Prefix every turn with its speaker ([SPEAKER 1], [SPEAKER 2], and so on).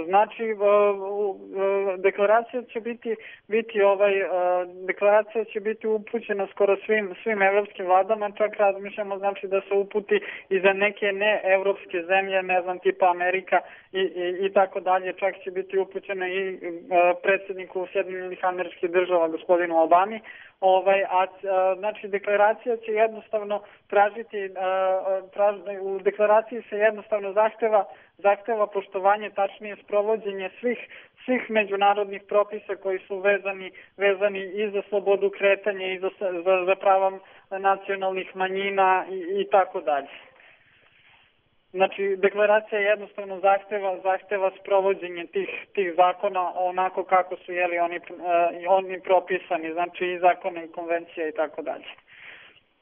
[SPEAKER 1] Znači, deklaracija će biti upućena skoro svim evropskim vladama, čak razmišljamo znači da se uputi i za neke neevropske zemlje, ne znam, tipa Amerika i tako dalje, čak će biti upućena i predsjedniku Sjedinjenih Američkih Država, gospodinu Obami. Znači, deklaracija će jednostavno tražiti, u deklaraciji se jednostavno zahteva poštovanje, tačnije sprovođenje svih međunarodnih propisa koji su vezani i za slobodu kretanja i za prava nacionalnih manjina i tako dalje. Znači, deklaracija jednostavno zahteva sprovođenje tih zakona onako kako su oni propisani, znači i zakona i konvencija i tako dalje.